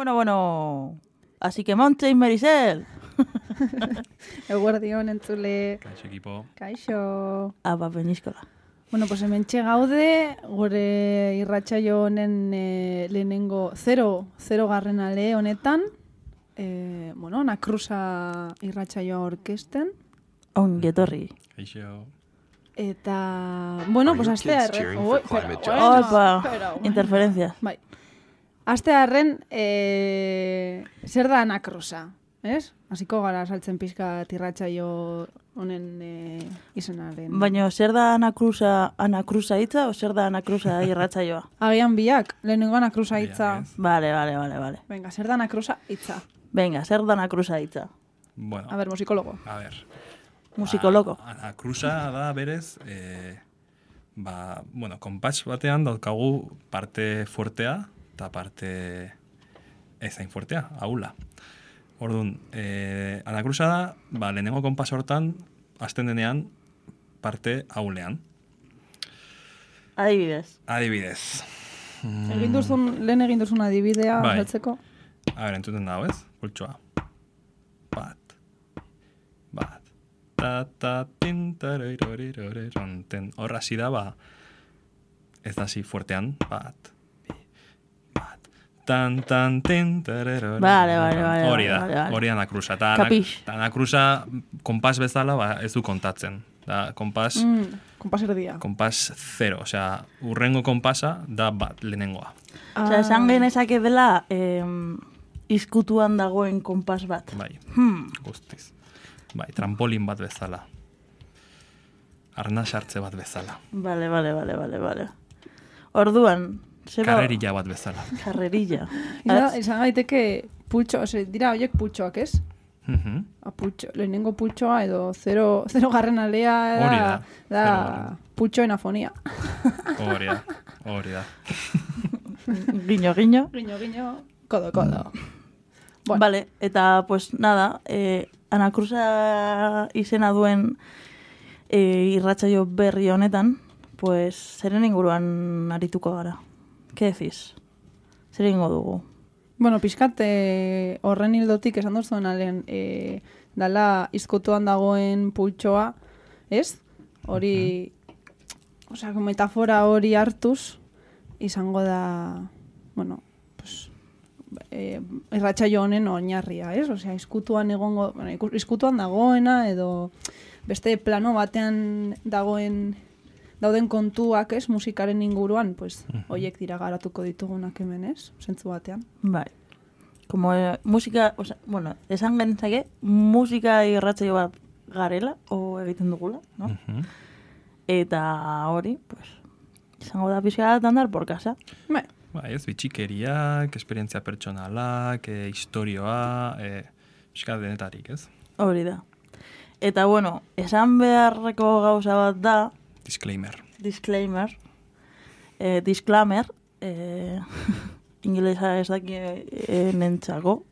Bueno. Así que Montse y Maricel. Eguerdion entzule. Kaixo ekipo. Kaixo. Benizkola. Bueno, pues hementxe gaude, gure irratsaio honen lehenengo 0 garren ale honetan. Nakrusa irratsaioa orkesten. Ongi etorri. Kaixo. Eta, pues astearren. Interferencias. Bai. Astearren, zer da anakrusa, ez? Hasiko gara saltzen pixka irratsaio honen izenaren. Baina, zer da anakrusa hitza o zer da anakrusa irratsaioa? Agian biak, lehenengo anakrusa hitza. Vale. Venga, zer da anakrusa hitza? Venga, zer da anakrusa hitza? Bueno. A ver, musikologo. A ver. Musikologo. Anakrusa da berez, konpas batean daukagu parte fuertea eta parte ezain fuertea, ahula. Orduan, anakrusa da, lehenengo konpas hortan, hasten denean, parte ahulean. Adibidez. Lehen egin duzun adibidea, saltzeko? A ver, entzuten dago, ez? Pultsoa. Bat. Ta, tin, tararirorirorironten. Horra hasi da, ez da zi fuertean. Bat. Tan, tin, tararirorirorironten. Vale. Hori anakrusa. Kapix. Anakrusa, konpas bezala, ez du kontatzen. Da, konpas... Konpas erdia. Konpas 0, osea, urrengo konpasa da bat, lehenengoa. Osea, esan genezake dela izkutuan dagoen konpas bat. Bai, guztiz. Bai, trampolin bat bezala. Arnasartze bat bezala. Vale. Orduan, karrerilla bat bezala. Karrerilla. Izan gaiteke pultxo, dira horiek pultxoak, ez? Lehenengo pultxoa edo 0 garren alea da pultxoen afonia. Hori da. Guiño. Kodo. Bueno. Vale, eta pues nada, anakrusa izena duen irratsaio berri honetan, pues zeren inguruan arituko gara. Ke decís? Zer ingo dugu? Bueno, pixkat horren hildotik esan duzuen alen dala izkutuan dagoen pultsoa, ez? Hori, metafora hori hartuz, izango da, irratsaio honen oinarria, ez? Osea, izkutuan dagoena edo beste plano batean dauden kontuak, ez, musikaren inguruan, pues, hoiek dira garatuko ditugunak hemen, ez, zentzu batean. Bai. Como musika, esan genezake, musika irratsaio bat garela, o egiten dugula, no? Eta hori, pues, izango da pixka bat andar por casa. Bai. Ez, bitxikeriak, esperientzia pertsonalak, historioa, pixka denetarik, ez? Hori da. Eta, esan beharreko gauza bat da, Disclaimer. Ingelesa ez daki nentzako.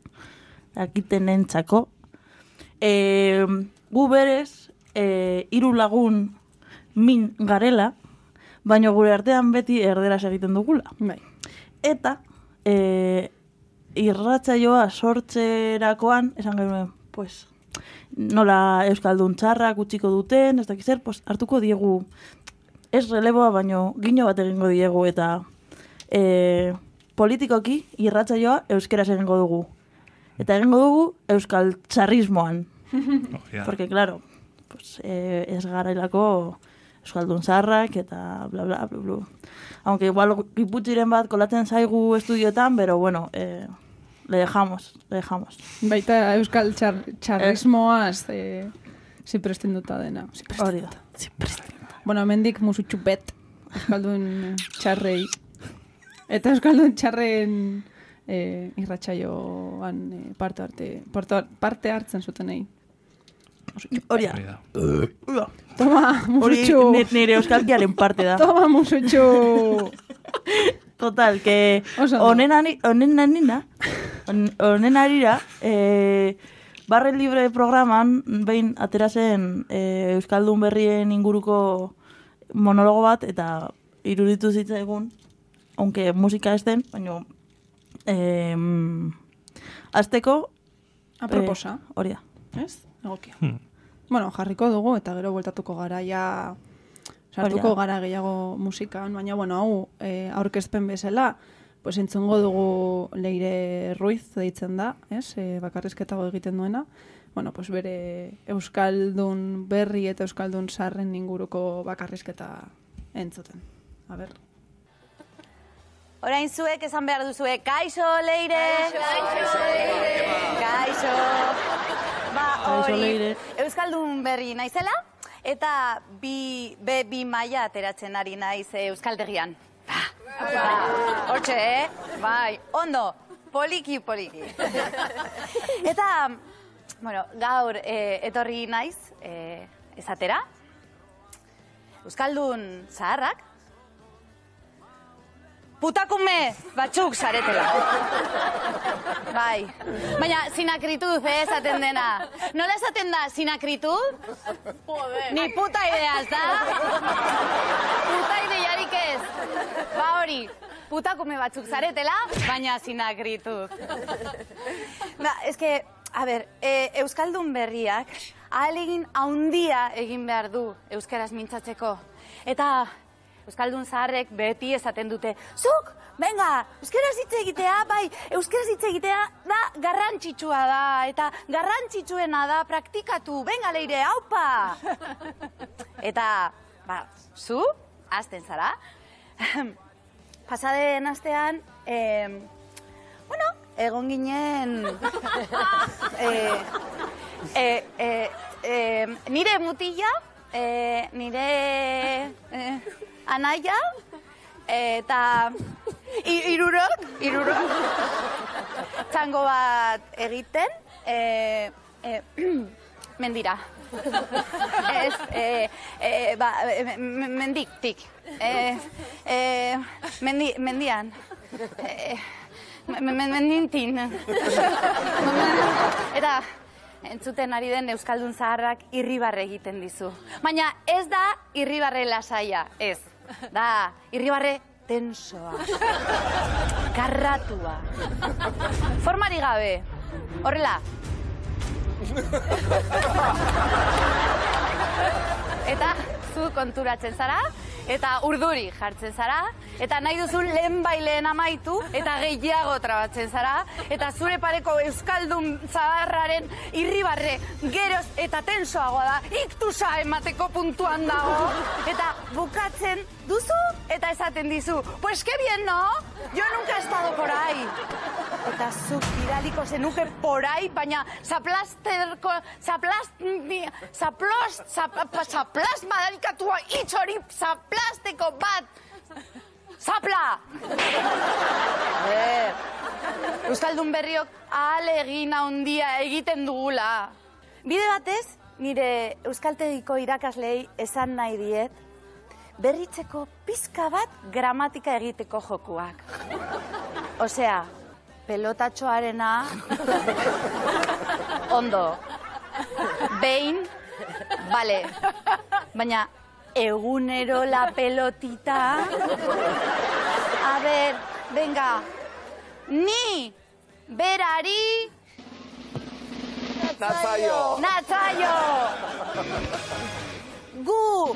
Dakiten nentzako. Gu berez, 3 lagun min garela, baina gure artean beti erderaz egiten dugula. Bai. Eta, irratsaioa sortzerakoan, esan genuen, pues, nola euskaldun txarrak utziko duten, ez dakiz zer, pues, hartuko diegu, ez releboa, baino gino bat egingo diegu, eta politikoki irratsaioa euskeraz egingo dugu. Eta egingo dugu euskal txarrismoan. Porque, claro, pues, ez garailako euskaldun zarrak, eta bla, bla, bla, bla. Aunque igual iputxiren bat kolatzen zaigu estudioetan, pero bueno, le dejamos. Baita euskal txarrismoaz ziprestenduta dena. Hori da. Bueno, mendik musutxu bet euskaldun txarrei. Eta euskaldun txarren irratsaioan parte hartzen zutenei. Hori da. Toma, musutxu. Hori nire euskalkiaren parte da. Toma, musutxu. Total, que honen arira, Barre Libre programan, behin aterazen euskaldun berrien inguruko monologo bat, eta iruditu zitzaigun, aunque musika ez den, baina Azteko... Aproposa. Hori da. Ez? Egokia. Bueno, jarriko dugu eta gero bueltatuko gara ja... Sartuko gara gehiago musikan, baina, bueno, hau aurkezpen bezala, pues entzungo dugu Leire Ruiz deitzen da, ez? Bakarrizketago egiten duena. Bueno, pues bere euskaldun berri eta euskaldun sarren inguruko bakarrizketa entzuten. A ber. Orain zuek esan behar duzue, kaixo, Leire! Kaixo, Leire! Kaixo! Ba, hori, euskaldun berri naizela, eta bi maila ateratzen ari naiz euskaldegian. Hortxe, bai, ondo, poliki. Eta, bueno, gaur etorri naiz esatera, euskaldun zaharrak, putakume batzuk zaretela. Bai. Baina, sinakrituz, esaten dena. Nola esaten da, sinakrituz? Ni puta ideaz, da? Puta ideiarik ez. Ba hori, putakume batzuk zaretela, baina sinakrituz. Ba, eske, a ber, euskaldun berriak ahalegin haundia egin behar du euskaraz mintzatzeko. Eta... euskaldun zaharrek beti esaten dute, zuk, venga, euskaraz hitz egitea, bai, euskaraz hitz egitea da garrantzitsua da, eta garrantzitsuena da praktikatu, venga, Leire, haupa! Eta, ba, zu, hasten zara, pasaden astean, bueno, egon ginen, nire mutila, nire... anaia, eta irurok, txango bat egiten, mendira. Ez, mendiktik. Mendian. Mendintin. Eta, entzuten ari den euskaldun zaharrak irribarre egiten dizu. Baina ez da irribarre lasaia, ez. Da, irribarre tensoa. Karratua. Formari gabe. Horrela. Eta zu konturatzen zara, eta urduri jartzen zara, eta nahi duzun lehen amaitu, eta gehiago trabatzen zara, eta zure pareko euskaldun zaharraren irribarre geroz eta tensoagoa da, iktusa emateko puntuan dago, eta bukatzen duzu, eta esaten dizu, pues que bien, no? Yo nunca he estado por ahí. Eta zuk iraliko zenuke por ahí, baina zaplast madarikatua hitz hori zaplasteko bat. Zapla! Euskaldun berriok ahalegin handia egiten dugula. Bide batez, nire euskaltegiko irakaslei esan nahi diet, berritzeko pizka bat gramatika egiteko jokuak. Osea, pelotatxoarena, ondo, behin, bale, baina egunero la pelotita, a ver, venga, ni, berari, natzaio, gu,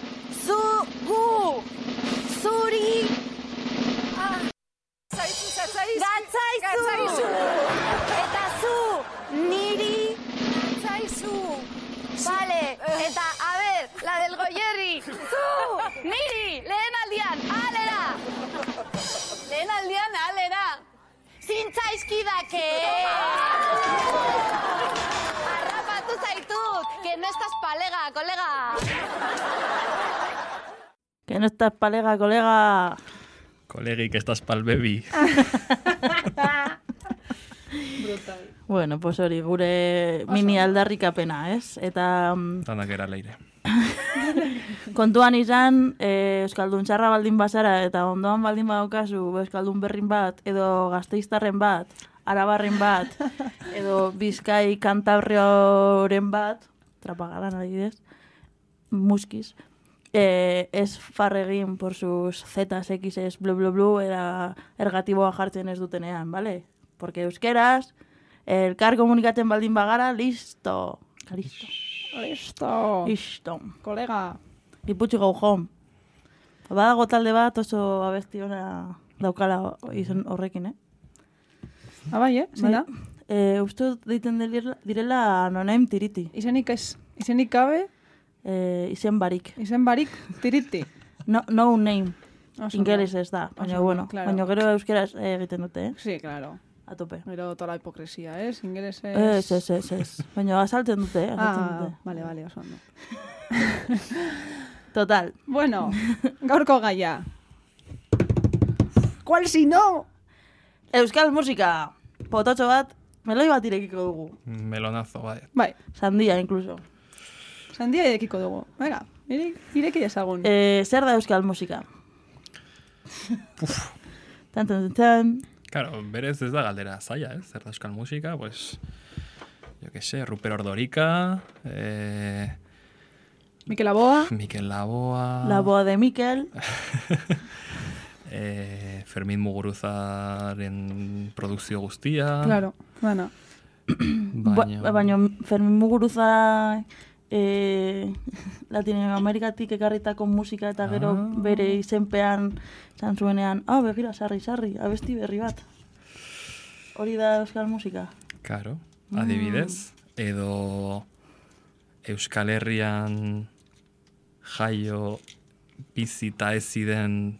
zuri, gatzaizu, eta zu, niri, gatzaizu, vale, eta, a ver, la del Goierri, zu, niri, lehen aldian, alera, zintzaizkidake, harrapatu zaitut, que no estás palega, kolega. Que no estás palega, kolega. Kolegi, que estás pal bebi. Brutal. Bueno, pues hori, gure mini aldarrikapena, ez? Eta... Danak era Leire. kontuan izan, euskaldun txarra baldin bazara, eta ondoan baldin badaukazu euskaldun berrin bat, edo gasteiztarren bat, arabarren bat, edo bizkai kantabrioren bat, trapagaran adibidez, muskiz, ez farregin por sus zetas, x's, blu, blu, blu, eta ergatiboa jartzen ez dutenean, bale? porque euskeraz, elkar komunikatzen baldin bagara, listo. Listo. Kolega. Iputxi gau jom. Badago talde bat oso abesti ona daukala izen horrekin, Bai, zena? Uste dut deiten direla nonaim tiriti. Izenik ez. Izenik gabe, Izen barik. izen barik, tiriti. No name. Ingeles ez da, baina Oso, bueno. claro. Baina gero euskeraz egiten dute, Sí, claro. A tope. Gero toda la hipokresia, Ingeles ez... Ez. Baina azaltzen dute, Vale, oso ondo. Total. Bueno, gaurko gaia. ¿Cuál si no? Euskal musika. Pototxo bat, meloi bat irekiko dugu. Melonazo, bai. Bai, Sandia, incluso. sandia edekiko dugu. Venga, ireki dezagun. Zer da euskal musika? Tan. Claro, berez ez da galdera zaila, Zer da euskal musika, pues... Yo que sé, Ruper Ordorika, Mikel Laboa. Mikel Laboa... La boa de Mikel. Fermin Muguruzaren produkzio guztia. Claro, bueno. Baina Fermin Muguruza Latinoamerikatik ekarritako musika eta gero bere izenpean zan zuenean, begira, sarri, abesti berri bat. Hori da euskal musika. Claro, adibidez. Edo Euskal Herrian jaio bizita ez ziren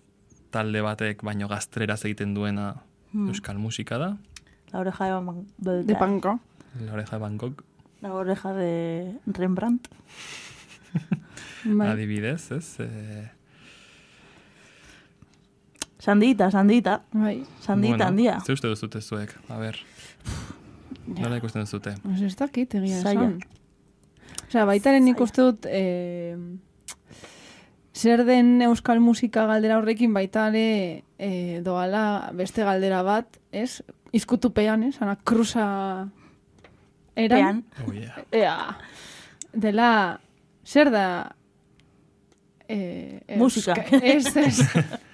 talde batek baino gaztreraz egiten duena euskal musika da. La oreja De Panko. La oreja de Bangkok. La oreja de Rembrandt. Bai. Adibidez, ez? Sandita. Bai. Sandita handia. Ze uste duzute zuek? A ber, nola ikusten duzute? Pues ez dakit egia Zaila. esan. Osea, baitaren nik uste dut zer den euskal musika galdera horrekin baitare doala beste galdera bat, ez? Izkutupean, ana kruza eran. Pean. Oh, yeah. Ea, dela, zer da Musika.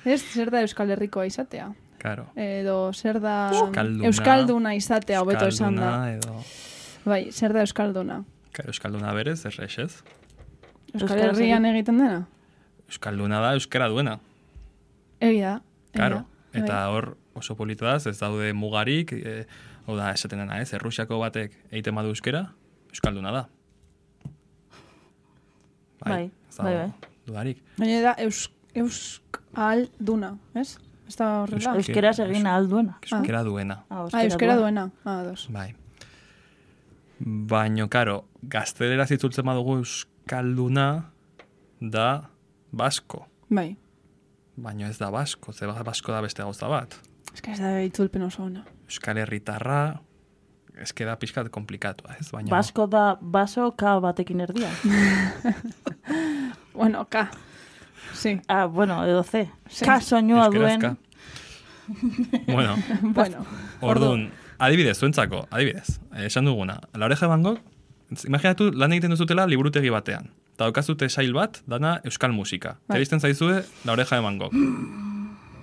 Ez zer da Euskal Herrikoa izatea. Claro. Edo zer da Euskalduna izatea, hobeto esan da. Edo... Bai, zer da Euskalduna. Euskalduna berez, ez? Euskal Herrian egiten dena? Euskalduna da euskara duena. Egia. Claro. Eta hor oso polito da, ez daude mugarik, hau da, esaten dena, Errusiako batek egiten badu euskera, euskalduna da. Bai. Dudarik. Baina da euskalduna, ez? Ez da horrela? Euskeraz egin alduena. Euskera duena. Euskera duena. Dos. Bai. Baina, karo, gazteleraz itzultzen badugu euskalduna da basko. Bai. Baina ez da basko, ze basko da beste gauza bat. Ez que ez da itzulpen oso ona. Euskal Herritarra, ez da pixkat komplikatua, ez? Baina... Basko da baso ka batekin erdia. Bueno, ka. Sí. Bueno, edo C. Sí. Ka soinua Euskeraz duen. ka. Bueno, Bueno. orduan, adibidez, zuentzako, adibidez, esan duguna, La oreja de Bangkok, imaginatu lan egiten duzutela liburutegi batean. Eta daukazute sail bat, dana euskal musika. Bai. Telisten zaizue La oreja de Bangkok.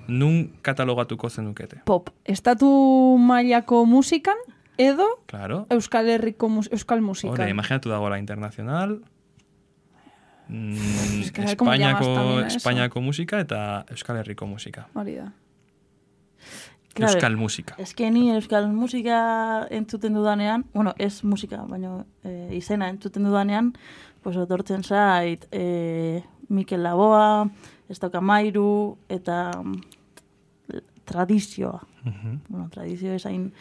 Nun katalogatuko zenukete? Pop. Estatu mailako musikan edo Claro. Euskal Herriko euskal musikan. Hore, imaginatu dago la internacional, Es que a ver cómo llamas también a eso. Espainiako musika eta Euskal Herriko musika. Hori da. Claro, Euskal musika. eske ni euskal musika entzuten dudanean, bueno, ez musika, baina izena entzuten dudanean, pues otortzen zait Mikel Laboa, Estaukamairu eta tradizioa. Bueno, tradizio esain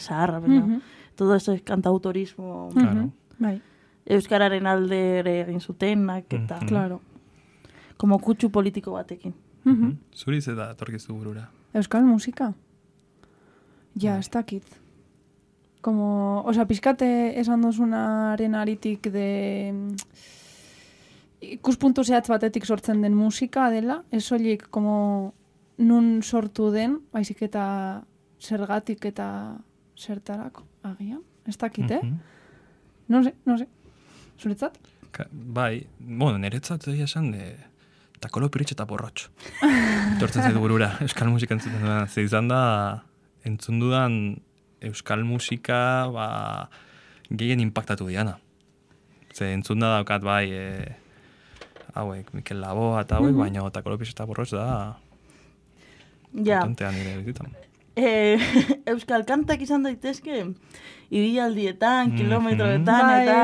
zaharra, baina todo eso es cantautorismo. Claro. Bai, Euskararen alde ere egin zutenak eta claro. como kutsu politiko batekin. Zuri ze da etorkizu burura. Euskal musika. Ja, ez dakit. Como, osea, pizkate esan duzunaren aritik de ikuspuntu zehatz batetik sortzen den musika dela, ez soilik como nun sortu den, baizik eta zergatik eta zertarako agian. Ez dakit, No sé. Zuretzat? Bai, bueno, niretzat egia esan takolo piritx eta borrotx. Tortzen zaitu burura, euskal musika entzuten duena. Ze izan da entzun dudan euskal musika gehien impactatu diana. Ze entzun da daukat bai hauek, Mikel Laboa eta hauek, baina Takolopis eta Borroz da potentea nire bizitan. Euskal kantak izan daitezke ibialdietan, kilometroetan, eta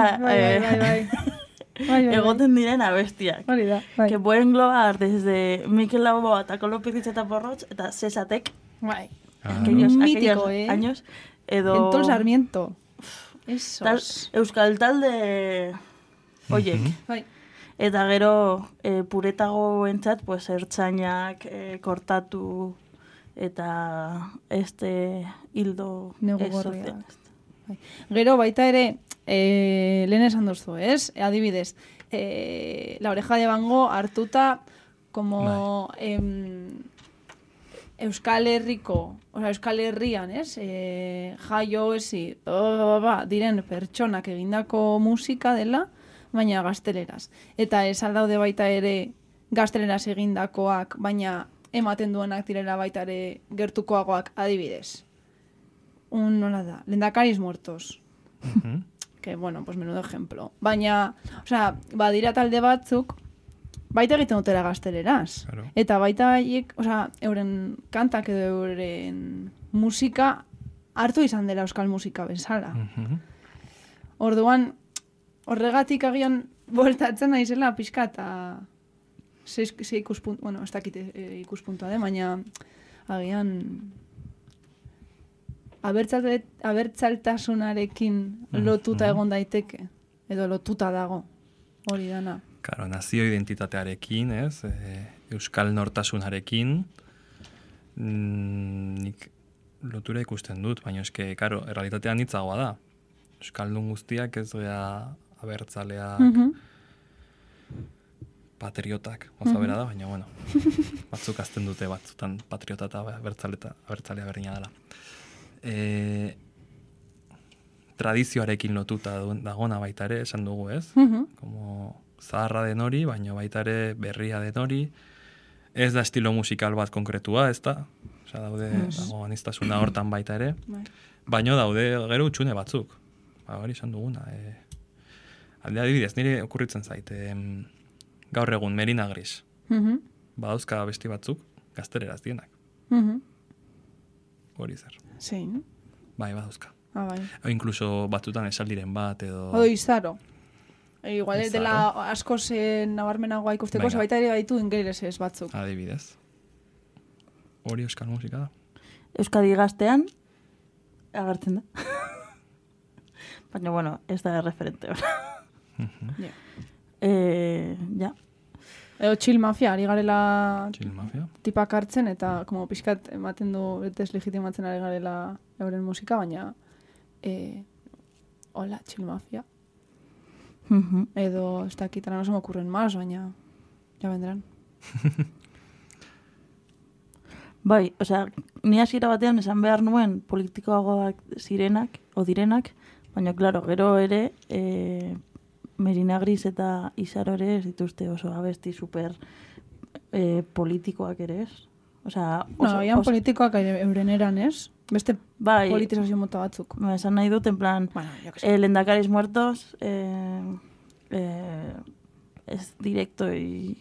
Bai. egoten diren abestiak. Hori da, bai. Que pueden englobar desde Mikel Laboa, Takolopis eta Borroz, eta Cesatek, Bai. aquellos Mítico, años, edo... Entol Sarmiento. Esos. Euskal talde oiek. Bai. Eta gero puretago entzat, pues, ertzainak, kortatu, eta hildo Negu gorria. Bai. Gero baita ere, lehen esan duzu, ez? Adibidez, La Oreja de Van Gogh hartuta como Euskal Herriko, Euskal Herrian, ez? Jaio ezi, diren pertsonak egindako musika dela, baina gazteleraz. Eta ez aldaude baita ere gazteleraz egindakoak, baina ematen duenak direla baita ere gertukoagoak, adibidez. Nola da, Lehendakariz muertos. Que, bueno, pues menudo ejemplo. Baina, badira talde batzuk, baita egiten dutela gazteleraz. Claro. Eta baita haiek, euren kantak edo euren musika hartu izan dela euskal musika bezala. Orduan, horregatik agian voltatzen naizela pixka eta ze ikuspuntu, bueno, ez dakit ikuspuntua de, baina agian abertzaltasunarekin lotuta egon daiteke, edo lotuta dago, hori dana. Claro, nazio identitatearekin, ez? Euskal nortasunarekin, nik lotura ikusten dut, baina eske, karo, errealitatean hitzagoa da. Euskaldun guztiak ez gea abertzaleak, patriotak, oza bera da, baina, bueno, batzuk azten dute batzutan patriota eta abertzalea berdina dela. Tradizioarekin lotuta dagona baita ere, esan dugu, ez? Como zaharra den hori, baina baita ere berria den hori. Ez da estilo musikal bat konkretua, ez da? Osa, daude, dago aniztasuna hortan baita ere. Baina daude gero utxune batzuk. Hori esan duguna. Alde adibidez, nire okurritzen zait. Gaur egun, Merina Gris. Badauzka besti batzuk, gazteleraz dienak. Hori zer. Zein? Bai, badauzka. Bai. O inkluso batzutan esaldiren bat, edo... Odo izaro. Igual dela asko nabarmenagoa ikusteko, baita ere baitu ingelesez batzuk. Adibidez. Hori euskal musika da. Euskadi gaztean, agertzen da. Baina, bueno, ez da referente. Ja. Edo Chill Mafia, ari garela tipak hartzen, eta como pixkat ematen du deslegitimatzen ari garela euren musika, baina hola, Chill Mafia. Edo, ez dakit, no se me ocurren más, baina ya vendrán. Bai, osea, ni hasiera batean esan behar nuen politikoagoak zirenak, o direnak, baina, klaro, gero ere, Merina Gris eta Izaro ere ez dituzte oso abesti super politikoak ere ez. Osea, agian politikoak euren eran ez? Beste politizazio mota batzuk. Esan nahi dut, en plan, Lehendakariz muertos, es directo y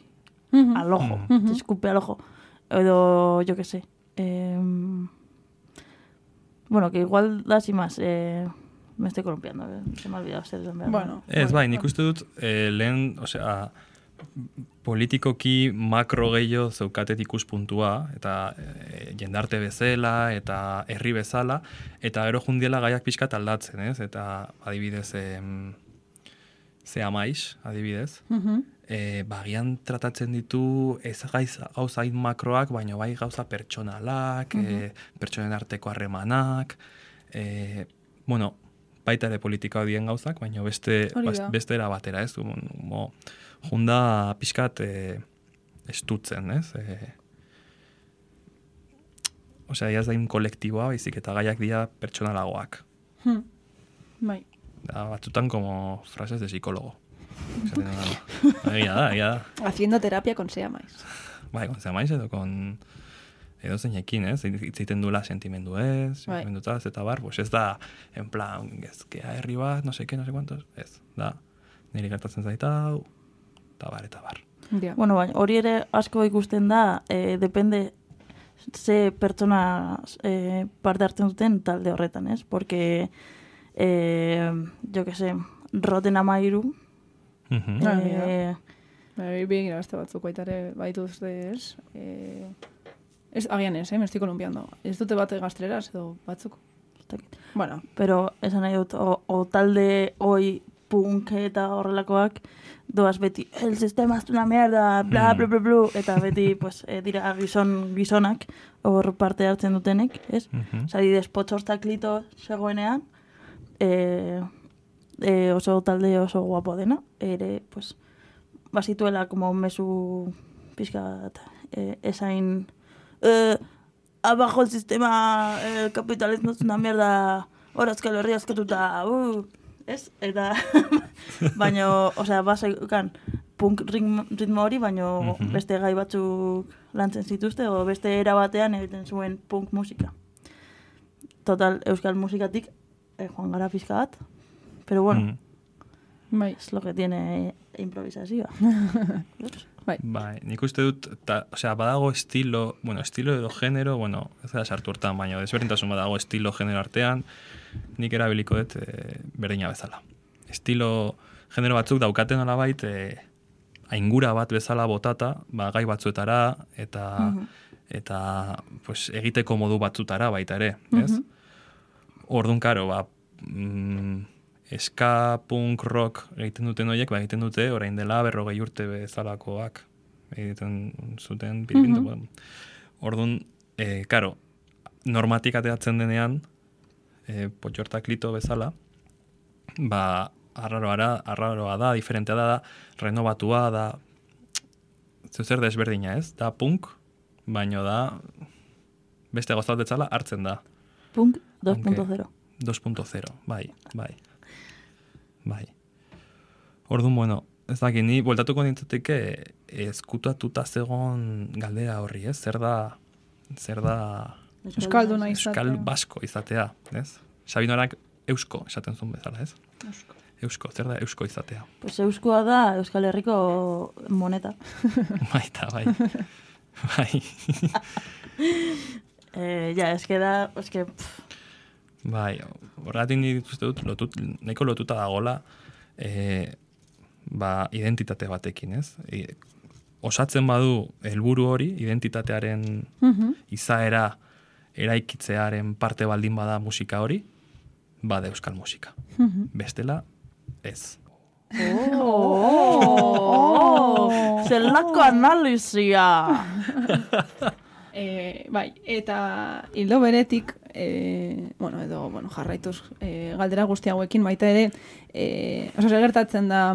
al ojo, se escupe al ojo. Edo, yo que sé. Bueno, que igual da sin más... Me estoy columpiando, se me ha olvidado ser desenveado. Bueno, ez bai, nik uste dut, lehen, osea, politikoki makro gehiago zeukatet ikuspuntua, eta jendarte bezala, eta herri bezala, eta gero jundiela gaiak pixkat aldatzen, ez? Eta adibidez, ze amaiz, adibidez, bagian tratatzen ditu ez gauza hain makroak, baina bai gauza pertsonalak, pertsonen arteko harremanak, bueno, baita ere politika dien gauzak, baina beste era batera, ez? Junda pixkat estutzen, ez? Osea, ez da kolektiboa, baizik eta gaiak dira pertsonalagoak. Bai. Batzutan como frases de psicólogo. Egia da. Haciendo terapia con Sea Mais. Bai, con Sea Mais edo con edo zeinekin, ez? Itziten duela sentimenduez, sentimenduetaz, eta bar, pues ez da, en plan, gezkea herri bat, no sé qué, no sé cuántos, ez, da, niri gertatzen zaita, eta bar. Yeah. Bueno, baina hori ere asko ikusten da, depende ze pertsona parte hartzen duten talde horretan, ez? Porque, jo que sé, Rotten Amairu, bien grabazte batzuk baitare baituzte, ez? Agian ez, me estoy columpiando. Ez dute bate gazteleraz edo batzuk? Bueno. Pero esan nahi dut, o talde hoi punk eta horrelakoak, doaz beti, el sistema es una mierda, bla, bla, bla, bla, eta beti, pues, dira gizonak, hor parte hartzen dutenek, ez? Zari despotxostak lito zegoenean, oso talde oso guapo dena, ere, pues, basituela como mesu pizkat esain abajo el sistema, el capitalismo es una mierda, hora Euskal Herria askatuta, ez? Eta, baino, osea, basaikan punk ritmo hori, baino beste gai batzuk lantzen zituzte, o beste era batean egiten zuen punk musika. Total, euskal musikatik joan gara pizka bat, pero bueno, es lo que tiene improvisazioa. Bai, nik uste dut, osea, badago estilo edo genero, ez da sartu hortan, baina desberdintasun badago estilo genero artean, nik erabiliko dut berdina bezala. Estilo genero batzuk daukaten alabait, aingura bat bezala botata, gai batzuetara, eta pues, egiteko modu batzutara baita ere, ez? Orduan, karo, ska, punk, rock egiten duten horiek, egiten dute orain dela 40 urte bezalakoak egiten zuten piripintu. Orduan, karo, normatik ateatzen denean, potxortak lito bezala, arraroa da, diferentea da, renovatua da, zer desberdina ez, da punk, baino da, beste gozat betzala hartzen da. Punk 2.0. 2.0, bai. Orduan, bueno, ez dakit, ni bueltatuko nintzateke ezkutatuta zegon galdera horri, ez? Zer da euskalduna izatea. Euskal basko izatea, ez? Sabinorak eusko esaten zuen bezala, ez? Eusko, zer da eusko izatea? Pues euskoa da Euskal Herriko moneta. Baita, bai. Bai, horregatik nik uste dut, nahiko lotuta dagoela, identitate batekin, ez? Osatzen badu helburu hori, identitatearen izaera eraikitzearen parte baldin bada musika hori, bada euskal musika. Bestela, ez. Zelako analizia! Bai, eta hildo beretik, jarraituz galdera guzti hauekin baita ere, zer gertatzen da,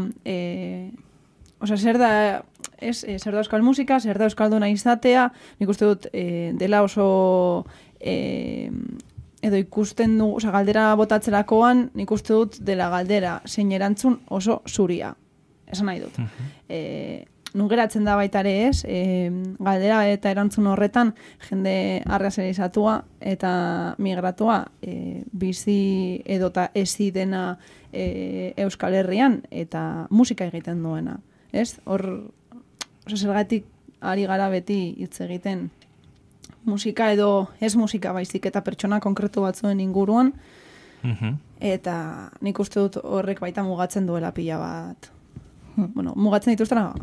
zer da euskal musika, zer da euskalduna izatea, nik uste dut dela oso edo ikusten du, galdera botatzerakoan, nik uste dut dela galdera zein erantzun oso zuria. Esan nahi dut. Nun geratzen da baita ere ez, galdera eta erantzun horretan jende arrazerizatua eta migratua bizi edota ezi dena Euskal Herrian eta musika egiten duena. Ez? Hor, zergatik ari gara beti hitz egiten musika edo ez musika baizik eta pertsona konkretu batzuen inguruan eta nik uste dut horrek baita mugatzen duela pila bat. Mugatzen dituztena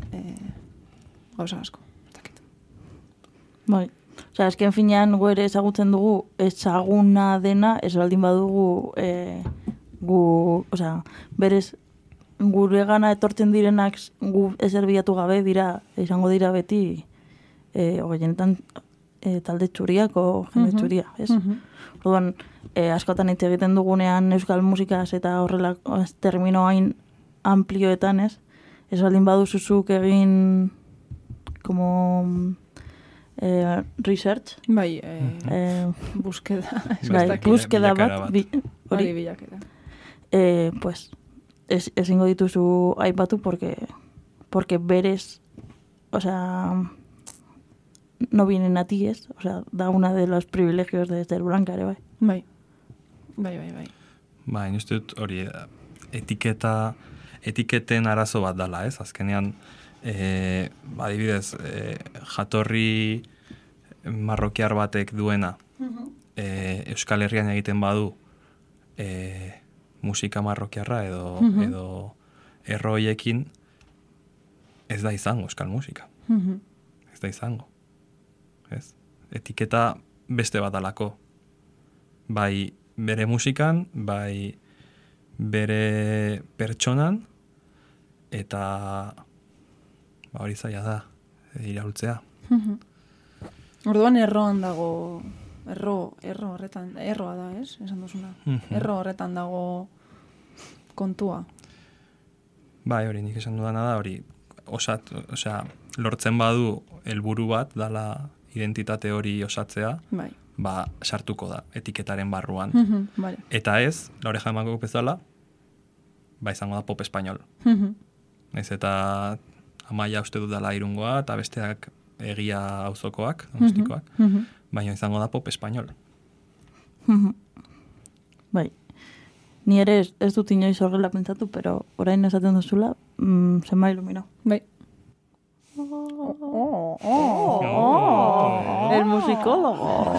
gauza asko. Bai. Osea, esken finean ere ezagutzen dugu ezaguna dena, ez baldin badugu berez guregana etortzen direnak gu ezer bilatu gabe izango dira beti genetan talde txuriak o jende txuria, ez? Orduan, askotan hitz egiten dugunean euskal musikaz eta horrelako termino hain amplioetan, ez? Ez baldin baduzuzuk egin como research. Bai, búsqueda. Búsqueda bat. Hori bilakera. Pues, ezingo dituzu aipatu porque berez, o sea, no vienen a ti, ¿es? O sea, da uno de los privilegios de ser blanca, ere, bai. Bai. Bai, uste dut hori etiketen arazo bat dala, ez? Azkenean, adibidez, jatorri marrokiar batek duena Euskal Herrian egiten badu musika marrokiarra edo erroiekin ez da izango euskal musika. Ez da izango. Ez? Etiketa beste bat alako. Bai bere musikan, bai bere pertsonan, eta hori zaila da, iraultzea. Orduan erroan dago, erroa da, ez? Esan duzuna. Erro horretan dago kontua. Bai, hori nik esan dudana da, hori lortzen badu helburu bat, dala identitate hori osatzea, bai. Sartuko da, etiketaren barruan. Vale. Eta ez, Laoreja Emango bezala, izango da pop espainol. Ez eta Amaia uste dut dela Irungoa, eta besteak Egia auzokoak, Donostikoak, baina izango da pop espainol. Bai. Ni ere ez dut inoiz horrela pentsatu, pero orain esaten duzula, se me ha iluminado. Bai. El musicólogo.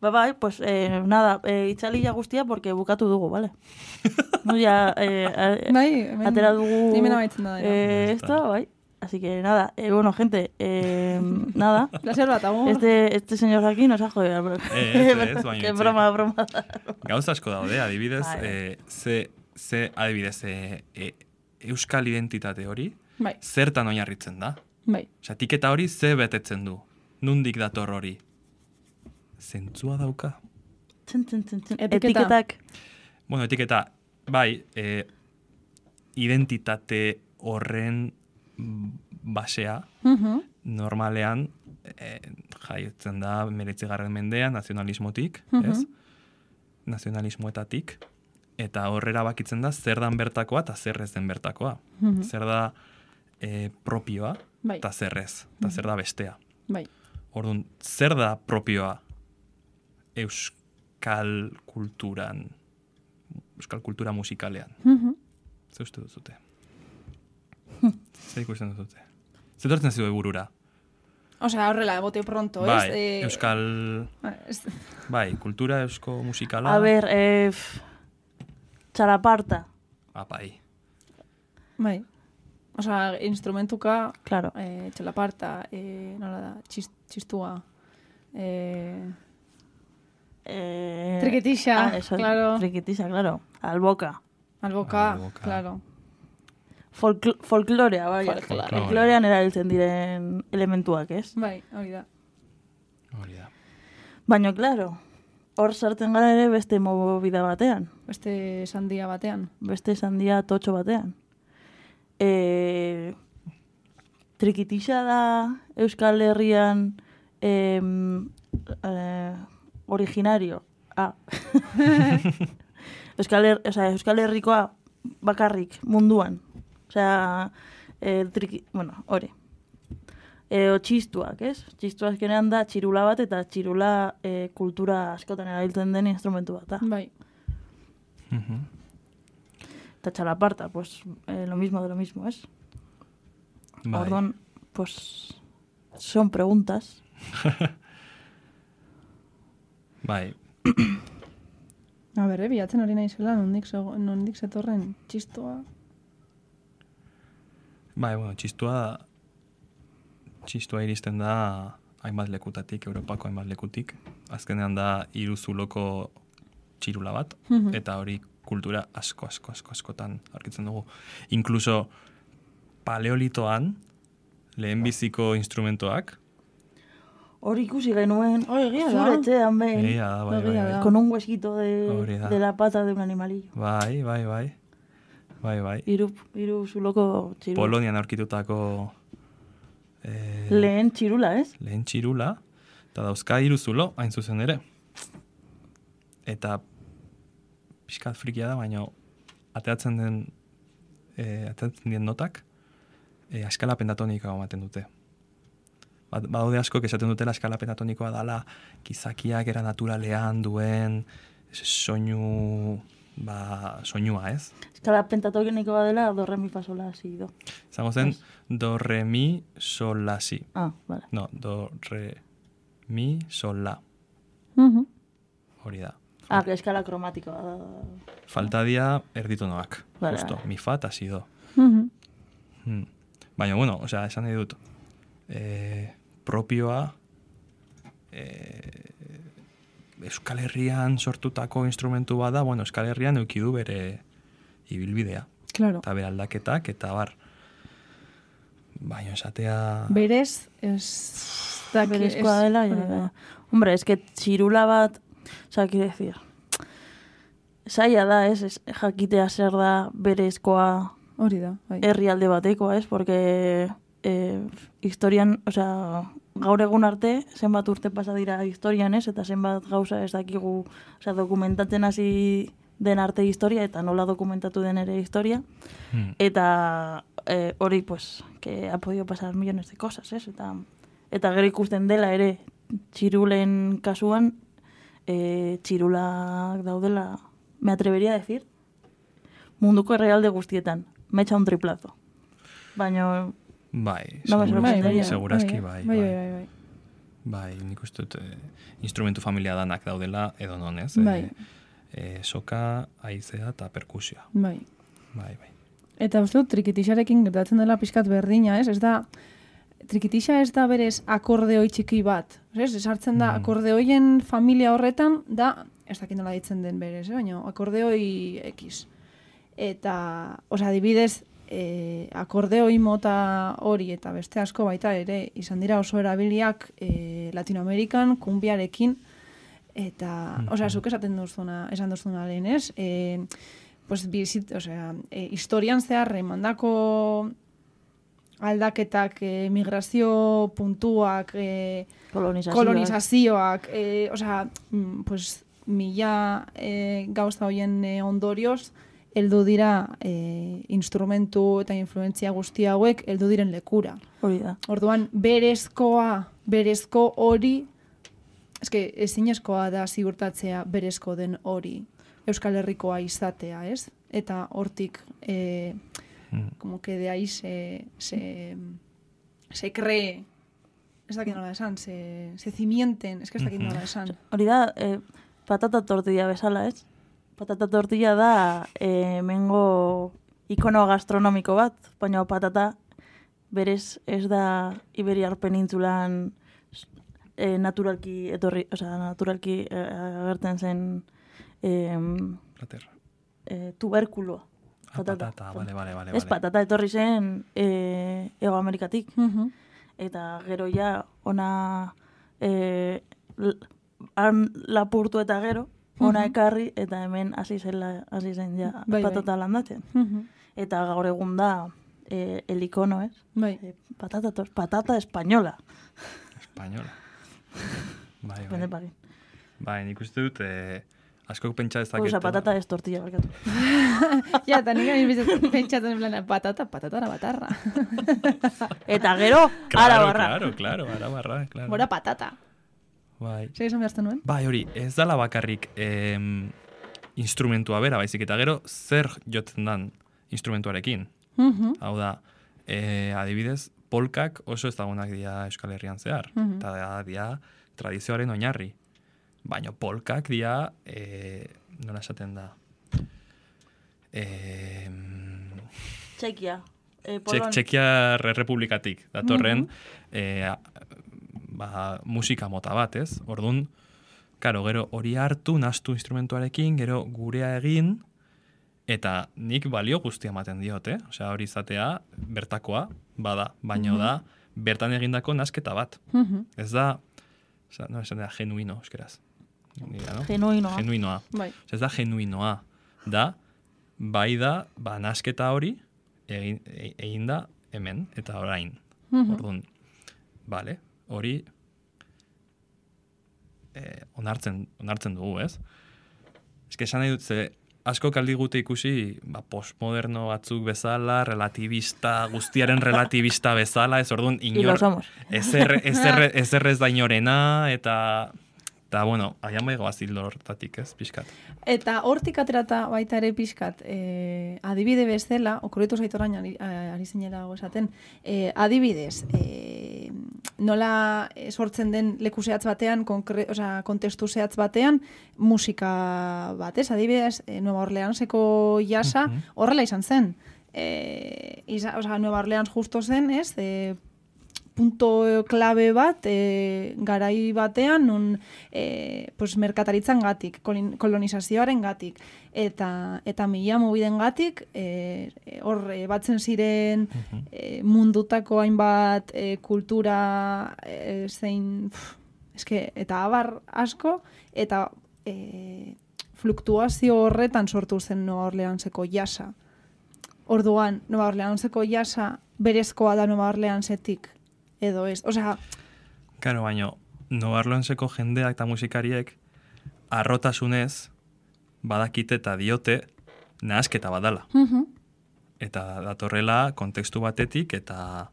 Bai, pues nada, itzalila guztia porque bukatu dugu, vale? No, ya atera dugu nimena baitzen da. Esto, bai. Así que nada, bueno, gente, nada. Placer bat, amor. Este señor aquí nos ha jodido. Qué broma. Gauza asko daude, adibidez, adibidez, euskal identitate hori, bai. Zertan oinarritzen da. Bai. Osea, etiketa hori ze betetzen du. Nundik dator hori? Zentzua dauka. Etiketak. Bueno, etiketa, bai, identitate horren basea, normalean, jaiotzen da 19. mendean, nazionalismotik, ez? Nazionalismoetatik, eta horrera bakitzen da zer dan bertakoa eta zer ez den bertakoa. Zer da propioa eta zer ez, eta zer da bestea. Bai. Orduan, zer da propioa euskal kulturan, euskal kultura musikalean? Zer uste duzute? Zer ikusten duzute? Zer tortzen zidu burura? Osea, horrela, bote pronto, ez? Bai, euskal... Bai, kultura eusko musikala... A ver, txalaparta. Bai. Bai. Osea, instrumentuka... Claro. Txalaparta, nola da, txistua... Triquetixa, claro. Triquetixa, claro. Alboka, claro. Folklorea, bai. Folklorean erabiltzen diren elementuak, ez? Bai, hori da. Baina, claro, hor sartzen gara ere beste movida batean. Beste sandia batean. Beste sandia totxo batean. Trikitixa da Euskal Herrian originario. Euskal Herrikoa bakarrik munduan. Osea, hori. Txistuak, ez? Txistuak genean da txirula bat, eta txirula kultura askotan erabiltzen den instrumentu bat. Bai. Eta txalaparta, pues, lo mismo de lo mismo, ¿es? Bai. Orduan, pues, son preguntas. Bai. A ber, bilatzen hori naizela, nondik zetorren txistua. Bai, bueno, txistua iristen da hainbat lekutatik, Europako hainbat lekutik. Azkenean da 3 zuloko txirula bat, eta hori kultura askotan aurkitzen dugu. Inkluso paleolitoan, lehenbiziko instrumentoak. Hori ikusi genuen, egia da. zure etxean behin. Egia da, bai. Con un huesquito de la pata de un animalillo. Bai. 3 zuloko txirula. Polonian aurkitutako lehen txirula, ez? Lehen txirula, eta dauzka 3 zulo, hain zuzen ere. Eta pixkat frikia da, baina ateatzen dien notak, eskala pentatonikoa ematen dute. Badaude asko esaten dutela eskala pentatonikoa dala gizakiak era naturalean duen soinua, ez? Eskala pentatonikoa dela do, re, mi, fa, sol, la, si, do. Zango zen, do, re, mi, sol, la, si. Vale. No, do, re, mi, sol, la. Hori da. Eskala kromatikoa da. Falta dia erditonoak. Vale, Justo, mi, fa, eta si, do. Baina, bueno, osea, esan nahi dut, propioa Euskal Herrian sortutako instrumentu bada, bueno, Euskal Herrian eukidu bere ibilbidea. Claro. Eta bere aldaketak, eta bar. Baina esatea... Berez, Berezkoa dela, ja. Hombre, es que txirula bat, oza, quiero decir, zaila da, ez, jakitea zer da berezkoa hori da, bai. herrialde batekoa, ez, porque historian, oza, gaur egun arte, zenbat urte pasa dira historian, ez, eta zenbat gauza ez dakigu, oza, dokumentatzen hasi den arte historia, eta nola dokumentatu den ere historia, eta hori, pues, que ha podido pasar millones de cosas, ez, eta gero ikusten dela ere, txirulen kasuan, txirulak daudela, me atrevería a decir, munduko errealde guztietan, me echa un triplazo. Baina... Bai, segurazki bai. Bai, nik uste dut instrumentu familia danak daudela edo non, ez? Bai. Soka, haizea eta perkusioa. Bai. Bai. Eta uste dut, trikitixarekin gertatzen dela pixkat berdina, ez? Ez da, trikitixa ez da berez akordeoi txiki bat. Ez hartzen da, akordeoien familia horretan, da, ez dakit nola ditzen den berez, baina akordeoi X. Eta, osea, adibidez, akordeoi mota hori eta beste asko baita ere izan dira oso erabiliak Latinoamerikan, kumbiarekin, eta, osea, zuk esan duzuna lehen, ez? Pues, historian zehar emandako aldaketak, migrazio puntuak, kolonizazioak, osea, pues, mila gauza hoien ondorioz, heldu dira instrumentu eta influentzia guzti hauek heldu diren lekura. Hori da. Orduan, berezko hori, eske ezinezkoa da ziurtatzea berezko den hori Euskal Herrikoa izatea, ez? Eta hortik, como que de ahí se cree, ez dakit nola esan, se cimienten, ez dakit nola esan. Hori da, patata tortilla bezala, ez? Patata tortilla da hemengo ikono gastronomiko bat, baina patata berez ez da Iberiar penintzulan naturalki etorri, osea, naturalki agertzen zen tuberkuloa. Patata, vale. Ez patata etorri zen Ego Amerikatik. Eta gero ja ona lapurtu eta gero ona ekarri eta hemen hasi zen ja patata landatzen. Eta gaur egun da el icono, ez? Patata española. Española. Bai. Bai, nik uste dut askok pentsa dezaketu. Osa, patata ez tortilla, barkatu. Ja, eta nik pentsatzen en plan, patata batarra. Eta gero, arabarra. Claro, arabarra. Gora patata. Bai. Zer esan behazten nuen? Bai, hori, ez dala bakarrik instrumentua bera, baizik, eta gero zer jotzen dan instrumentuarekin. Hau da, adibidez, polkak oso ezagunak dira Euskal Herrian zehar. Eta dira tradizioaren oinarri. Baina polkak dira, nola esaten da? Txekia. Txekia Republikatik. Datorren, musika mota bat, ez? Orduan, karo, gero hori hartu, nastu instrumentuarekin, gero gurea egin, eta nik balio guztia ematen diot, Osea, hori izatea, bertakoa, bada, baina da, bertan egindako nasketa bat. Ez da, no esan da, genuino, euskeraz. Genuinoa. Bai. Ez da genuinoa. Da, bai da, nasketa hori egin da hemen, eta orain. Orduan, bale, hori onartzen dugu, ez? Ez que esan nahi dut, asko kaldigute ikusi postmoderno batzuk bezala, relativista, guztiaren relativista bezala, ez orduan inor ezer ez da inorena, eta bueno, aian baigo azildo hortatik, ez, pixkat. Eta hortik aterata baita ere pixkat, adibide bezala, okurritu zaitu orain ari zinela esaten, adibidez, nola sortzen den leku zehatz batean, kontestu zehatz batean, musika bat, ez? Adibidez, Nueva Orleanseko jasa horrela izan zen. Nueva Orleans justo zen, ez? Punto klabe bat, garai batean, nun merkataritzan gatik, kolonizazioaren gatik, eta mila mobiden gatik, hor batzen ziren mundutako hainbat kultura zein, eta abar asko, eta fluktuazio horretan sortu zen Nueva Orleanseko jasa. Orduan, Nueva Orleanseko jasa berezkoa da Nueva Orleansetik, edo ez, Karo, baino, Nueva Orleanseko jendeak eta musikariek arrotasunez badakite eta diote nahasketa badala. Eta datorrela kontekstu batetik eta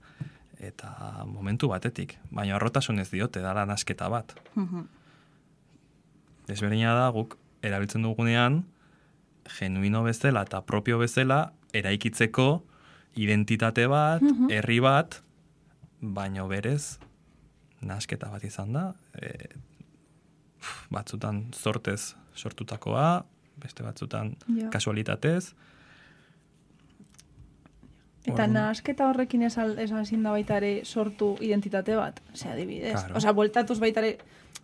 momentu batetik. Baina arrotasunez diote, dala nahasketa bat. Desberdina da, guk erabiltzen dugunean, genuino bezala eta propio bezala eraikitzeko identitate bat, herri bat, baino berez, nahasketa bat izan da, batzutan sortez sortutakoa, beste batzutan kasualitatez. Eta nahasketa horrekin ezin da baita ere sortu identitate bat, adibidez. Claro. Bueltatuz baita ere,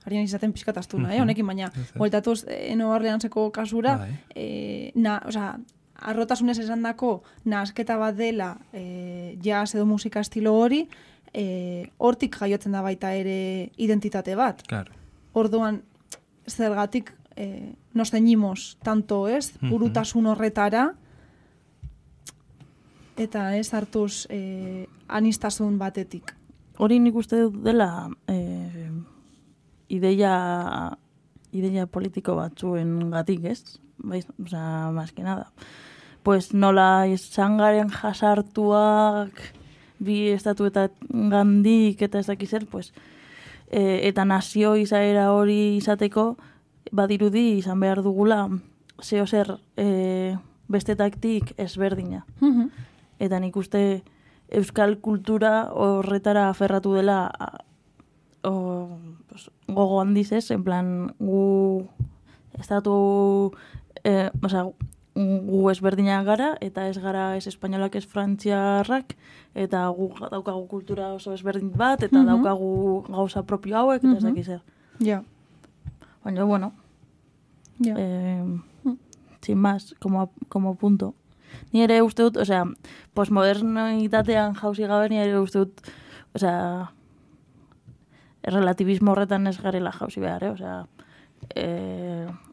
harien izaten pixkataztuna, honekin, baina bueltatuz Nueva Orleanseko kasura, arrotasunez esan dako nahasketa bat dela jazz edo musika estilo hori, hortik jaiotzen da baita ere identitate bat. Claro. Orduan, zergatik nos ceñimos tanto, ez? Burutasun horretara, eta ez hartuz anistasun batetik. Hori nik uste dut dela ideia politiko batzuen gatik, ez? Más que nada. Pues nola izan garen jasartuak bi estatuetan gandik eta ez dakiz zer, pues, eta nazio izaera hori izateko badirudi izan behar dugula zeo zer bestetaktik ezberdina. Eta nik uste euskal kultura horretara aferratu dela gogo handiz ez, en plan gu estatu gu ezberdinak gara, eta ez gara ez espainolak ez frantziarrak, eta gu daukagu kultura oso ezberdin bat, eta daukagu gauza propio hauek, eta ez dakiz zer. Ja. Baina, bueno, sin más, como punto. Ni ere uste dut, postmodernitatean jauzi gabe, ni ere uste dut, relativismo horretan ez garela jauzi behar,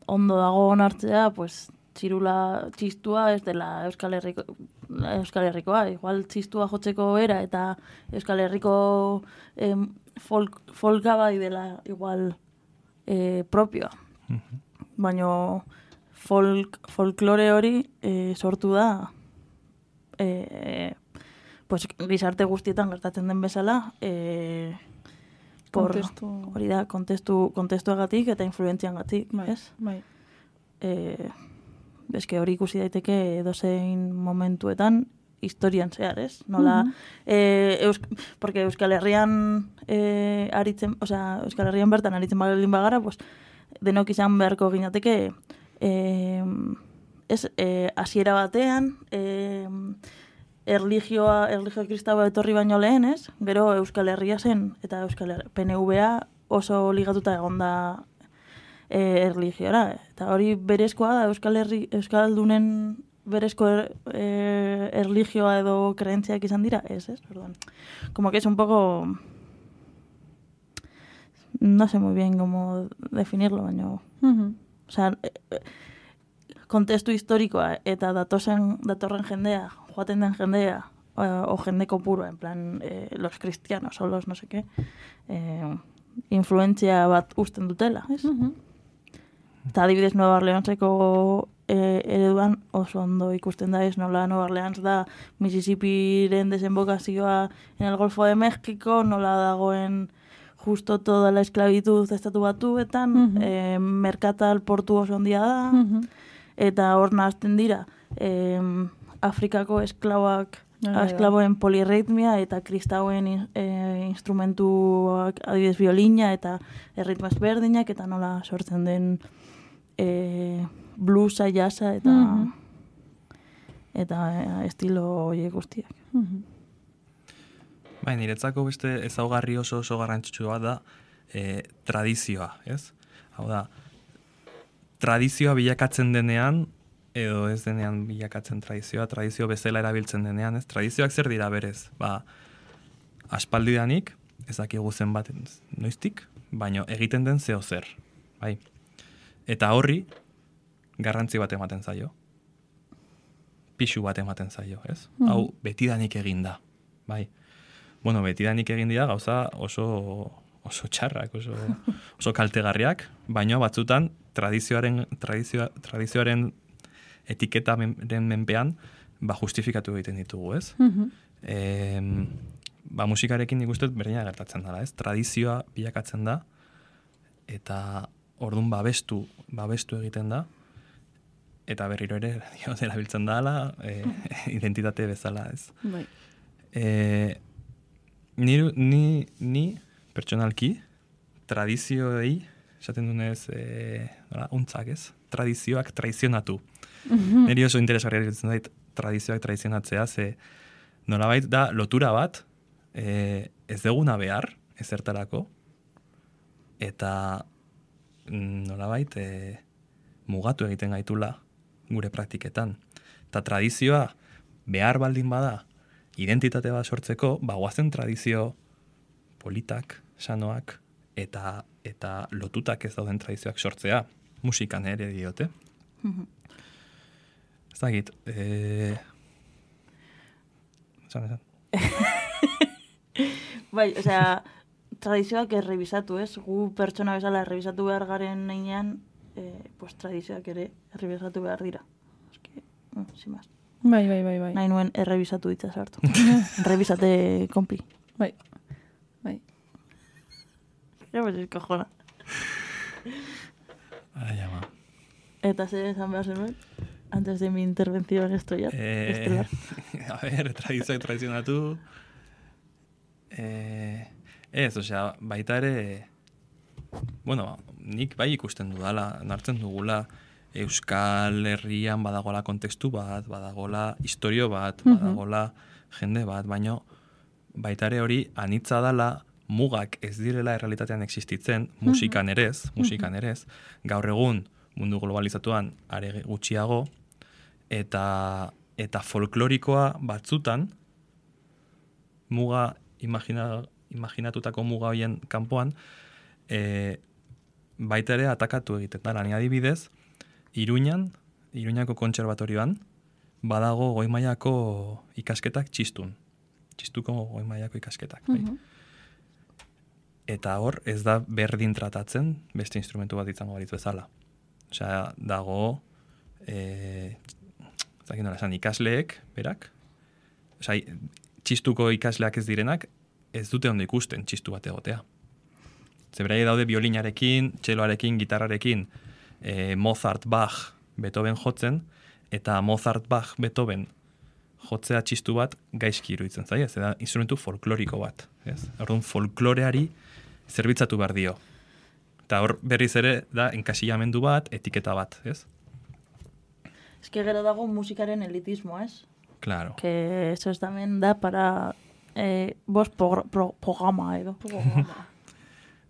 ondo dago onartzea, pues, txistua ez dela Euskal Herrikoa. Igual txistua jotzeko era eta Euskal Herriko folka bai dela igual propioa. Baina folklore hori sortu da pues, gizarte guztietan gertatzen den bezala hori da kontestuagatik eta influentziangatik, ez? Bai. Eske hori ikusi daiteke edozein momentuetan historian zehar, ez? Nola, porque Euskal Herrian Euskal Herrian bertan aritzen baldin bagara, pues, denok izan beharko ginateke hasiera batean erlijio kristaua etorri baino lehen, ez? Gero Euskal Herria zen, eta PNVA oso ligatuta egonda erlijiora. Eta hori berezkoa da Euskaldunen berezko erlijioa edo kreentziak izan dira, ez? Orduan, como que es un poco... No sé muy bien cómo definirlo, baina... Kontestu historikoa eta datorren jendea, joaten den jendea, o jende kopurua, en plan, los cristianos o los no sé qué, influentzia bat usten dutela, ez? Eta adibidez Nueva Orleanseko ereduan oso ondo ikusten da ez, nola Nueva Orleans da Mississippiren desembokazioa en el Golfo de México, nola dagoen justo toda la esclavitud estatu batuetan, merkatal portu oso ondia da, eta hor nahazten dira Afrikako esklaboen polirritmia eta kristauen instrumentuak adibidez violina eta erritmo ezberdinak eta nola sortzen den bluesa, jazza eta estilo horiek guztiak. Bai, niretzako beste ezaugarri oso garrantzitsua da tradizioa, ez? Hau da, tradizioa bilakatzen denean, edo ez denean bilakatzen tradizio bezala erabiltzen denean, ez? Tradizioak zer dira berez? Aspaldidanik, ez dakigu zenbat noiztik, baino egiten den zeo zer, bai? Eta horri, garrantzi bat ematen zaio. Pixu bat ematen zaio, ez? Hau, betidanik egin da, bai? Bueno, betidanik egin dira gauza oso txarrak, oso kaltegarriak, baina batzutan tradizioaren etiketaren menpean justifikatu egiten ditugu, ez? Musikarekin nik uste berdina gertatzen dela, ez? Tradizioa bilakatzen da, eta orduan babestu egiten da, eta berriro ere erabiltzen dela, identitate bezala, ez? Bai. Ni pertsonalki, tradizioei, esaten dunez, untzak ez, tradizioak traizionatu. Niri oso interesgarria egiten zait tradizioak traizionatzea, ze nolabait da lotura bat, ez deguna behar, ezertarako, eta nolabait mugatu egiten gaitula gure praktiketan. Eta tradizioa behar baldin bada, identitate bat sortzeko, guazen tradizio politak, sanoak, eta lotutak ez dauden tradizioak sortzea, musikan ere diote. Ez dakit, esan. Bai, osea, tradizioak errebisatu, ez? Gu pertsona bezala errebisatu behar garen neinean, pues tradizioak ere errebisatu behar dira. Eske, sin más. Bai. Nahi nuen errebisatu ditza sartu. Errebisate kompi. Bai. Ja, pues es cojona. Ai, ama. Eta zer esan behar zenuen? Antes de mi intervención estelar. A ver, tradizionatu. Ez, osea, baita ere, bueno, nik bai ikusten dudala, nartzen dugula, Euskal Herrian badagola kontekstu bat, badagola historio bat, badagola jende bat, baino baita ere hori anitza dala mugak ez direla errealitatean existitzen, musikan erez, gaur egun mundu globalizatuan are gutxiago, eta folklorikoa batzutan, muga imaginatutako muga hoien kanpoan, baita ere atakatu egiten da. Ni adibidez, Iruñako kontserbatorioan, badago goi mailako ikasketak txistuko goi mailako ikasketak. Eta hor, ez da berdin tratatzen beste instrumentu bat izango balitz bezala. Osea, dago ikasleek, berak, osea, txistuko ikasleak ez direnak, ez dute ondo ikusten txistu bat egotea. Zeberai daude violinarekin, txeloarekin, gitarrarekin, Mozart, Bach, Beethoven jotzen, eta Mozart, Bach, Beethoven jotzea txistu bat gaizki iruditzen zaia, ez da instrumentu folkloriko bat. Orduan folkloreari zerbitzatu behar dio. Eta hor berriz ere da enkasilamendu bat, etiketa bat, ez? Ez que gero dago musikaren elitismo, ez? Claro. Que eso es también da para programa, edo.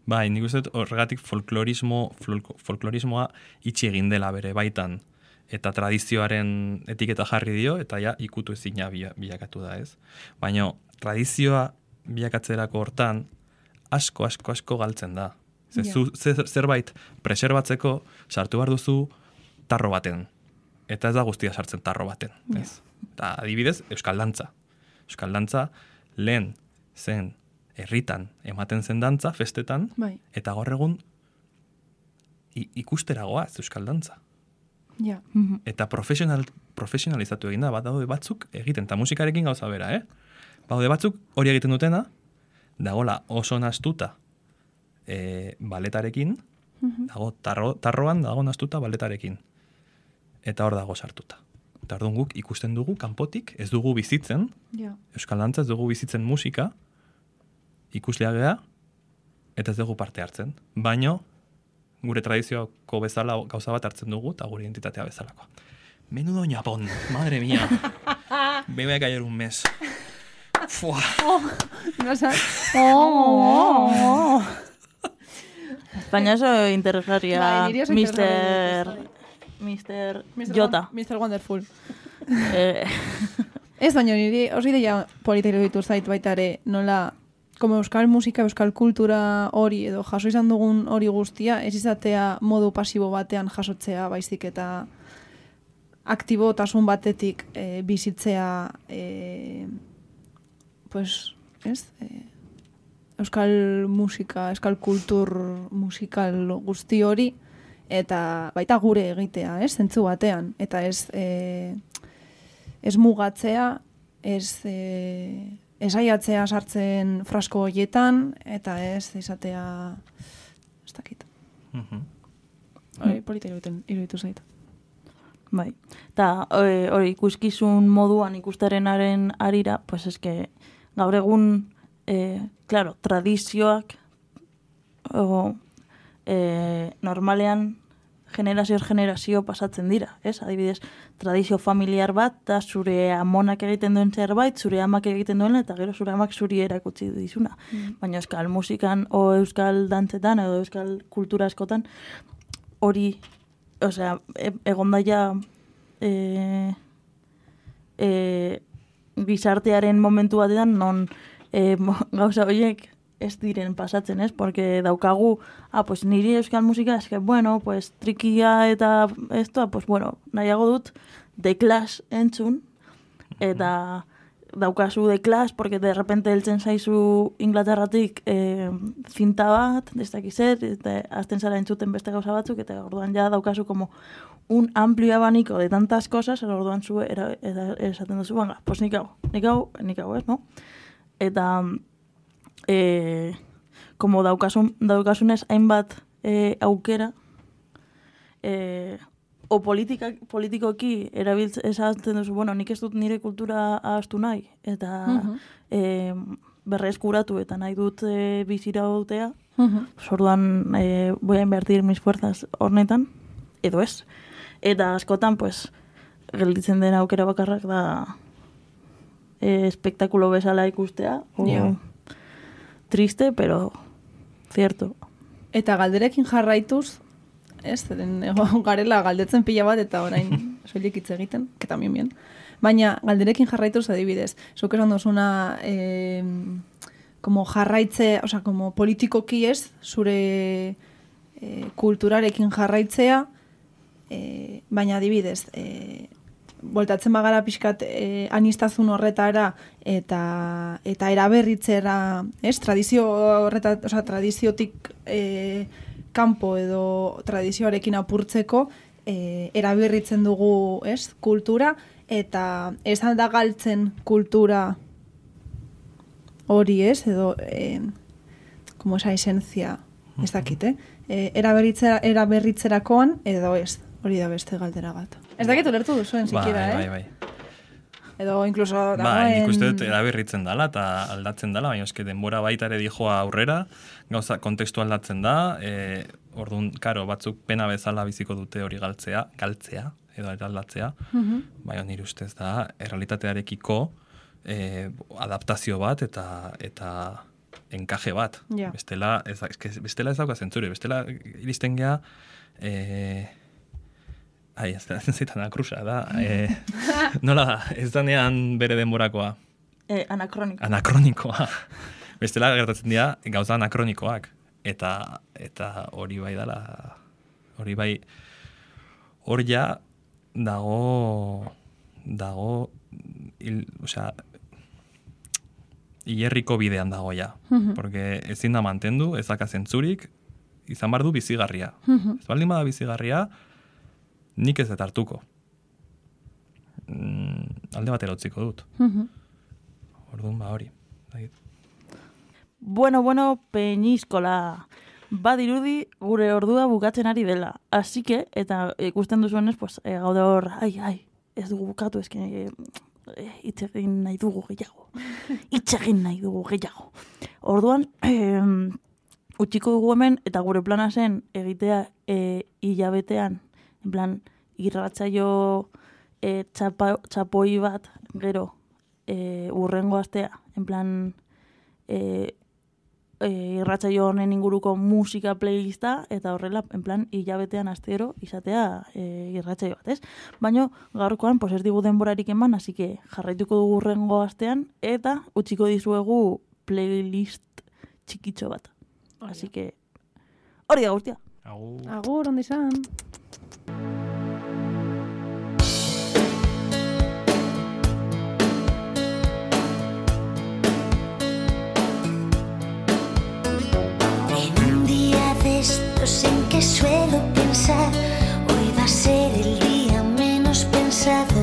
Bai, nik uste horregatik folklorismoa itxi egin dela bere baitan, eta tradizioaren etiketa jarri dio, eta ja ikutu ezina bilakatu da, ez? Baina tradizioa bilakatzerako hortan asko galtzen da. Zerbait preserbatzeko sartu behar duzu tarro baten, eta ez da guztia sartzen tarro baten, ez? Eta adibidez, Euskal Dantza. Euskal Dantza lehen zen herritan ematen zen dantza, festetan, eta gaur egun ikusteragoa ez Euskal Dantza. Ja. Eta profesionalizatu egin da, daude batzuk egiten, eta musikarekin gauza bera, Daude batzuk hori egiten dutena, dagola oso nastuta baletarekin, dago tarroan dago nastuta baletarekin. Eta hor dago sartuta. Eta orduan guk ikusten dugu kanpotik, ez dugu bizitzen, Euskal Dantza ez dugu bizitzen musika, ikuslea gea, eta ez dugu parte hartzen. Baino, gure tradizioko bezala gauza bat hartzen dugu, eta gure identitatea bezalako. Menudo ñapón, madre mía. Me voy a caer un mes. Fua. No sabes. Baina oso interesgarria, Mr. Jota. Mr. Wonderful. Ez baina niri oso ideia polita iruditu zait baita ere, nola, como euskal musika, euskal kultura hori edo jaso izan dugun hori guztia, ez izatea modu pasibo batean jasotzea, baizik eta aktibotasun batetik bizitzea pues, ez? Euskal musika, euskal kultur musikal guzti hori, eta baita gure egitea, zentzu batean, eta ez mugatzea, ez aiatzea sartzen frasko horietan, eta ez izatea, ez dakit. Hori polita iruditu zait. Bai, eta hori ikuskizun moduan ikusterenaren arira, pues eske gaur egun, claro, tradizioak normalean generazio pasatzen dira, ez? Adibidez, tradizio familiar bat, da zure amonak egiten duen zerbait, zure amak egiten duen, eta gero zure amak zuri erakutsi dizuna. Baina euskal musikan, o euskal dantzetan, edo euskal kultura askotan, hori, osea, egon daia gizartearen momentu batean, non gauza horiek ez diren pasatzen, ez? Porque daukagu, pues niri euskal musika, eske, bueno, pues trikia eta esto, pues bueno, nahiago dut The Clash entzun, eta daukazu The Clash, porque de repente heltzen zaizu Inglaterratik zinta bat, ez dakizet, eta azten zara entzuten beste gauza batzuk, eta orduan ja daukazu como un amplio abanico de tantas cosas, orduan zu esaten duzu, banga, pues nik hau, ez, no? Eta como daukasunez hainbat aukera, o politikoki esaten duzu, bueno, nik ez dut nire kultura ahaztu nahi, eta berreskuratu eta nahi dut bizira dutea, orduan voy a invertir mis fuerzas hornetan, edo ez. Eta askotan, pues, gelditzen den aukera bakarrak da espektakulo bezala ikustea, triste, pero cierto. Eta galderekin jarraituz, ez, zeren garela galdetzen pila bat eta orain soilik hitz egiten, que también bien. Baina galderekin jarraituz adibidez, zuk esan duzuna como jarraitze, o sea, como politikoki ez, zure kulturarekin jarraitzea, baina adibidez, voltatzen bagara pixkat anistazun horretara eta eraberritzera, ez, tradizio horreta, o sea, tradiziotik kanpo edo tradizioarekin apurtzeko eraberritzen dugu, ez, kultura, eta ez alda galtzen kultura hori, ez, edo como esa esencia, ez dakit, eraberritzerakoan edo ez, hori da beste galdera bat. Ez dakit ulertu duzuen, sikiera, Bai. Edo incluso dagoen... nik uste dut eraberritzen dala eta aldatzen dala, baina eske denbora baita ere dijoa aurrera, gauza kontekstu aldatzen da, orduan, karo, batzuk pena bezala biziko dute hori galtzea, edo aldatzea, baina nire ustez da, errealitatearekiko adaptazio bat eta enkaje bat. Yeah. Bestela ez dauka zentzure, bestela iristen gea... ez zaitan akrusa, da. Nola da, ez danean bere denborakoa. Anakronikoa. Bestela gertatzen dira gauza anakronikoak. Eta hori bai dala, hori bai, hor ja dago, osea, hierriko bidean dago ja. Porque ezin da mantendu, ez daka zentzurik, izan bar du bizigarria. Ez baldin bada bizigarria, nik ez dut hartuko. Alde batera utziko dut. Orduan, hori. Bueno, Peñiskola. Badirudi gure ordua bukatzen ari dela. Así que, eta ikusten duzuenez, pues, gaude hor, ez dugu bukatu, esken, hitz egin nahi dugu gehiago. Orduan, utziko dugu hemen, eta gure plana zen egitea hilabetean, en plan, irratsaio txapoi bat, gero, urrengo astea, en plan, irratsaio honen inguruko musika playlista, eta horrela, en plan, hilabetean astero izatea irratsaio bat, ez? Baina, gaurkoan, pues ez digu denborarik eman, así que jarraituko dugu urrengo astean, eta utziko dizuegu playlist txikitxo bat. Así que, hori da guztia. Agur, ondo izan. En que suelo pensar, hoy va a ser el día menos pensado.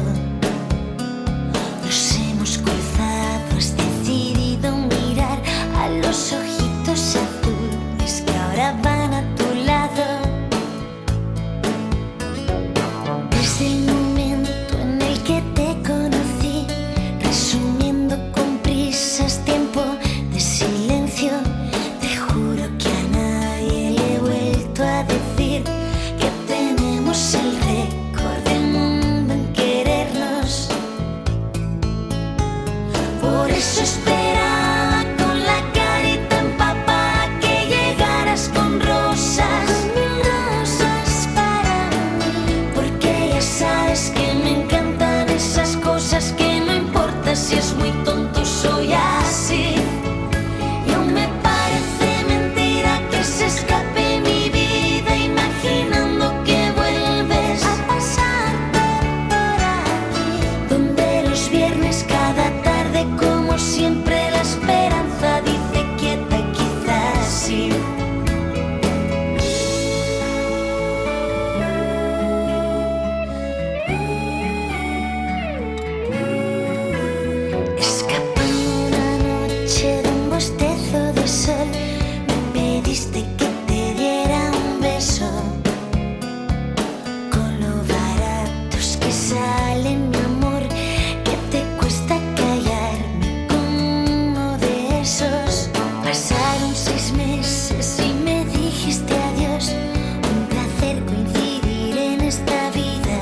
Nos hemos cruzado, has decidido mirar a los ojitos azules que ahora van a tu lado. Desde el momento en el que te conocí, resumiendo con prisas tiempo de silencio, te juro que a nadie le he vuelto a decir que tenemos el récord del mundo en querernos. Por eso esperaba con la carita empapada que llegaras con rosas, mil rosas para mí, porque ya sabes que me encantan esas cosas que no importa si es muy tonto, soy así. Y aún me parece mentira que se escape mi vida imaginando que vuelves a pasar por aquí, donde los viernes cada tarde como siempre la esperanza dice quieta, quizás sí. Escapando una noche de un bostezo de sol, me pediste que te diera un beso. Con lo baratos que salen, mi amor, que te cuesta callarme con uno de esos. Pasaron 6 meses y me dijiste adiós. Un placer coincidir en esta vida.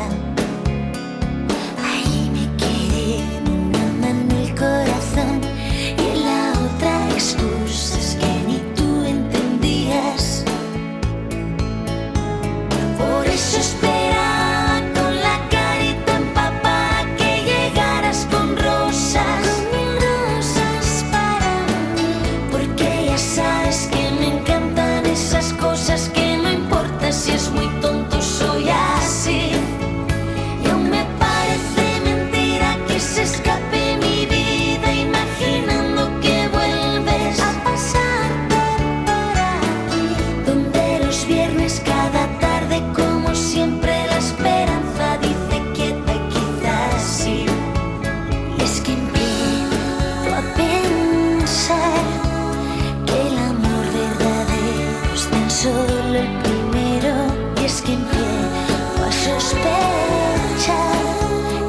Ahí me quedé en una mano el corazón y en la otra excusas que ni tú entendías. Por eso esperaba con la carita empapada que llegaras con rosas, mil rosas para mí, porque ya sabes que me encantan esas cosas que no importa si es muy tonto, soy así. Y aún me parece mentira que se escape mi vida imaginando que vuelves a pasar por aquí, donde los viernes cada tarde como siempre la esperanza dice quieta, quizás sí. Y es que empiezo a pensar que el amor verdadero es tan solo el primero. Y es que empiezo a sospechar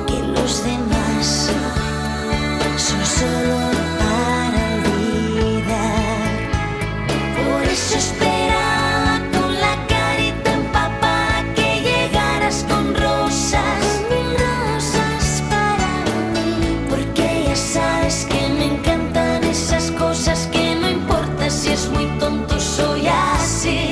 que los demás son solo para olvidar. Por eso esperaba con la carita empapada que llegaras con rosas, mil rosas para mí, porque ya sabes que me encantan esas cosas que no importa si es muy tonto, soy así.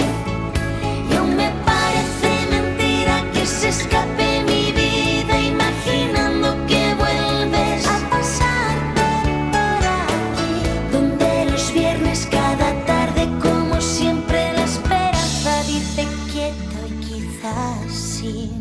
Y aún me parece mentira que se escape mi vida imaginando que vuelves a pasar por aquí, donde los viernes cada tarde como siempre la esperanza dice quieto y quizás sí.